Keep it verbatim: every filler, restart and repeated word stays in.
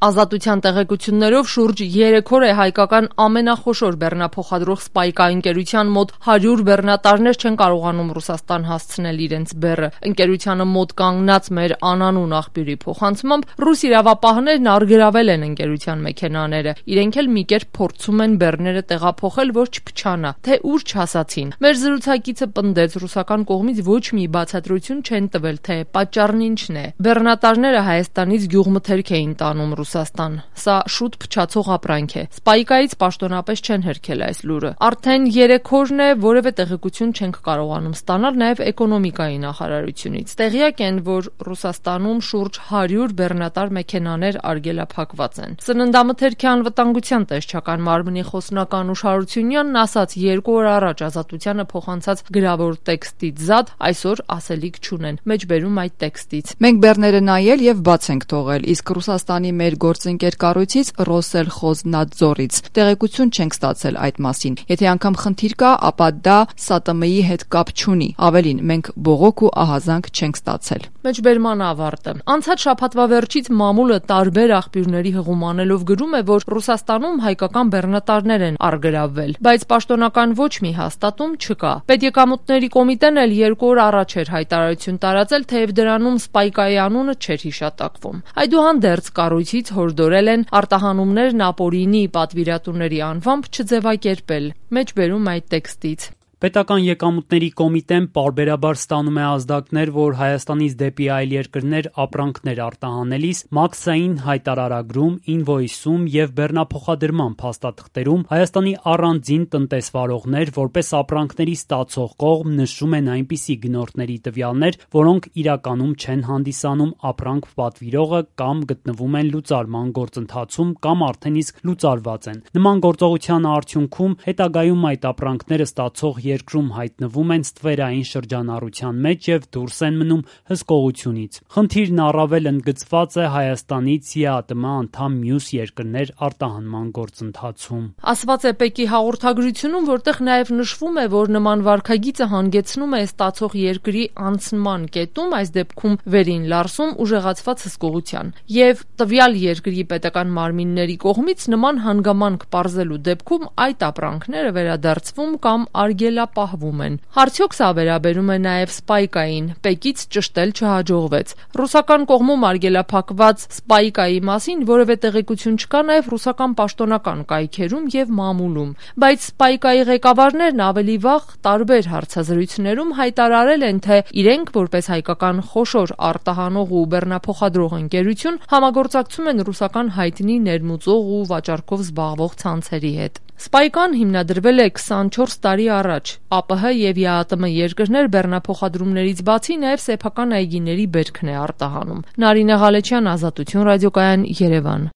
Ազատության տեղեկություններով շուրջ երեք օր է հայկական ամենախոշոր բեռնափոխադրող Spike ընկերության մոտ հարյուր բեռնատարներ չեն կարողանում Ռուսաստան հասցնել իրենց բեռը։ Ընկերությանը մոտ կանգնած մեր անանուն աղբյուրի փոխանցմամբ ռուս իրավապահներն առգրավել են ընկերության մեքենաները։ Իրենք էլ մի կերպ փորձում են բեռները տեղափոխել, որ չփչանա, թե ուր չհասացին։ Մեր զրուցակիցը պնդեց, ռուսական կողմից ոչ մի բացատրություն չեն տվել, թե պատճառն ինչն է։ Բեռնատարները Հայաստանից գյուղմթերք էին տանում Ռուսաստան։ Սա շուտ փչացող ապրանք է։ Spike-ից պաշտոնապես չեն հերքել այս լուրը։ Արդեն երեք օրն է, որևէ տեղեկություն չենք կարողանում ստանալ նաև էկոնոմիկայի նախարարությունից։ Տեղյակ են, որ Ռուսաստանում շուրջ հարյուր բեռնատար մեքենաներ արգելափակված են։ Սննդամթերքի անվտանգության տեսչական մարմնի խոսնական Ուշ Հարությունյանն ասաց երկու օր առաջ Ազատությանը փոխանցած գրավոր տեքստից զատ այսօր ասելիք չունեն։ Մեջբերում այդ տեքստից։ Մենք բեռները նայել եւ բաց ենք թողել, իսկ Ռուսաստանի մեր գործընկեր կառույցից Ռոսելխոզնադզորից տեղեկություն չենք ստացել այդ մասին։ Եթե անգամ խնդիր կա, ապա դա ՍԱՏՄ-ի հետ կապ չունի։ Ավելին, մենք բողոք ու ահազանգ չենք ստացել։ Մեջբերման ավարտը։ Անցած շաբաթվա վերջից մամուլը տարբեր աղբյուրների հղումանելով գրում է, որ Ռուսաստանում հայկական բեռնատարներ են առգրավվել, բայց պաշտոնական ոչ մի հաստատում չկա։ Պետեկամուտների կոմիտեն էլ երկու օր առաջ էր հայտարարություն տարածել, թեև դրանում Spike-ի անունը չէր հիշատակվում։ Այդուհանդերձ կառույցից հորդորել են արտահանումներն ապօրինի պատվիրատուների անվամբ չձևակերպել։ Մեջբերում այդ տեքստից։ Պետական եկամուտների կոմիտեն պարբերաբար ստանում է ազդակներ, որ Հայաստանից դեպի այլ երկրներ ապրանքներ արտահանելիս մաքսային հայտարարագրում, ինվոյսում եւ բեռնափոխադրման փաստաթղթերում Հայաստանի առանձին տնտեսվարողներ որպես ապրանքների ստացող կողմ նշում են այնպիսի գնորդների տվյալներ, որոնք իրականում չեն հանդիսանում ապրանք պատվիրողը կամ գտնվում են լուծարման գործընթացում կամ արդեն իսկ լուծարված են։ Նման գործողության արդյունքում հետագայում այդ ապրանքները ստացող երկրում հայտնվում են ստվերային շրջանառության մեջ եւ դուրս են մնում հսկողությունից։ Խնդիրն առավել ընդգծված է Հայաստանից ԵԱՏՄ անդամ մյուս երկրներ արտահանման գործընթացում։ Ասված է ՊԵԿ-ի հաղորդագրությունում, որտեղ նաեւ նշվում է, որ նման վարքագիծը հանգեցնում է ստացող երկրի անցնման կետում, այս դեպքում վերին լարսում ուժեղացված հսկողության, եւ տվյալ երկրի պետական մարմինների կողմից նման հանգամանք պարզելու դեպքում այդ ապրանքները վերադարձվում կամ արգելապահվում են։ Արդյոք սա վերաբերում է նաև Spike-ին, ՊԵԿ-ից ճշտել չհաջողվեց։ Ռուսական կողմում արգելափակված Spike-ի մասին որևէ տեղեկություն չկա նաև ռուսական պաշտոնական կայքերում եւ մամուլում, բայց Spike-ի ղեկավարներն ավելի վաղ տարբեր հարցազրույցներում հայտարարել են, թե իրենք որպես հայկական խոշոր արտահանող ու բեռնափոխադրող ընկերություն համագործակցում են ռուսական հայտնի ներմուծող ու վաճառքով զբաղվող ցանցերի հետ։ Spike-ն հիմնադրվել է քսանչորս տարի առաջ։ ԱՊՀ եւ ԵԱՏՄ երկրներ բեռնափոխադրումներից բացի նաեւ սեփական այգիների բերքն է արտահանում։ Նարինե Ղալեչյան, Ազատություն ռադիոկայան, Երևան։